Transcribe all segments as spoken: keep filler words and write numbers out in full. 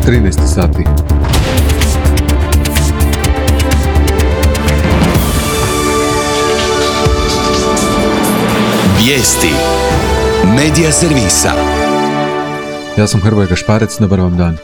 trinaest sati. Vijesti Medija servisa. Ja sam Hrvoje Gašparec, dobar vam dan.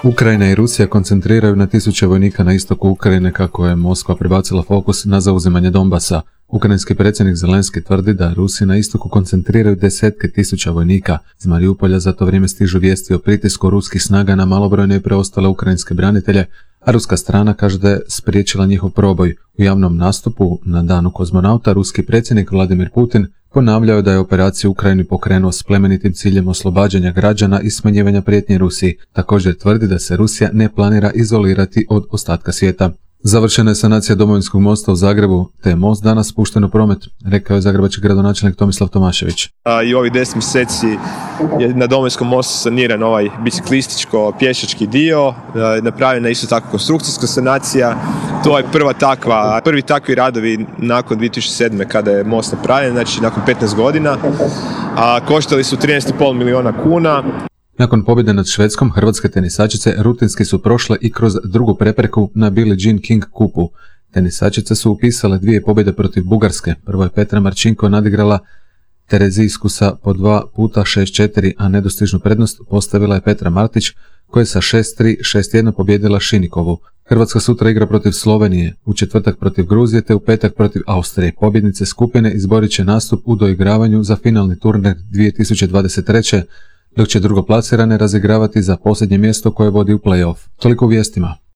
Ukrajina i Rusija koncentriraju na tisuće vojnika na istoku Ukrajine kako je Moskva prebacila fokus na zauzimanje Donbasa. Ukrajinski predsjednik Zelenski tvrdi da Rusi na istoku koncentriraju desetke tisuća vojnika. Iz Mariupolja za to vrijeme stižu vijesti o pritisku ruskih snaga na malobrojne i preostale ukrajinske branitelje, a ruska strana kaže da je spriječila njihov proboj. U javnom nastupu na danu kozmonauta ruski predsjednik Vladimir Putin ponavljao da je operaciju u Ukrajini pokrenuo s plemenitim ciljem oslobađanja građana i smanjivanja prijetnje Rusiji. Također tvrdi da se Rusija ne planira izolirati od ostatka svijeta. Završena je sanacija Domovinskog mosta u Zagrebu, te je most danas pušten u promet, rekao je zagrebački gradonačelnik Tomislav Tomašević. A, I ovih deset mjeseci je na Domovinskom mostu saniran ovaj biciklističko-pješački dio, a, napravljena je isto tako konstrukcijska sanacija. To je prva takva, prvi takvi radovi nakon dvije tisuće sedme kada je most napravljen, znači nakon petnaest godina, a koštali su trinaest zarez pet milijuna kuna. Nakon pobjede nad Švedskom, hrvatske tenisačice rutinski su prošle i kroz drugu prepreku na Billie Jean King kupu. Tenisačice su upisale dvije pobjede protiv Bugarske. Prvo je Petra Marčinko nadigrala Terezijsku sa po dva puta šest četiri, a nedostižnu prednost postavila je Petra Martić, koja je sa šest tri, šest jedan pobjedila Šinikovu. Hrvatska sutra igra protiv Slovenije, u četvrtak protiv Gruzije te u petak protiv Austrije. Pobjednice skupine izborit će nastup u doigravanju za finalni turnir dvije tisuće dvadeset treće dok će drugoplasirane razigravati za posljednje mjesto koje vodi u play-off. Toliko u vijestima.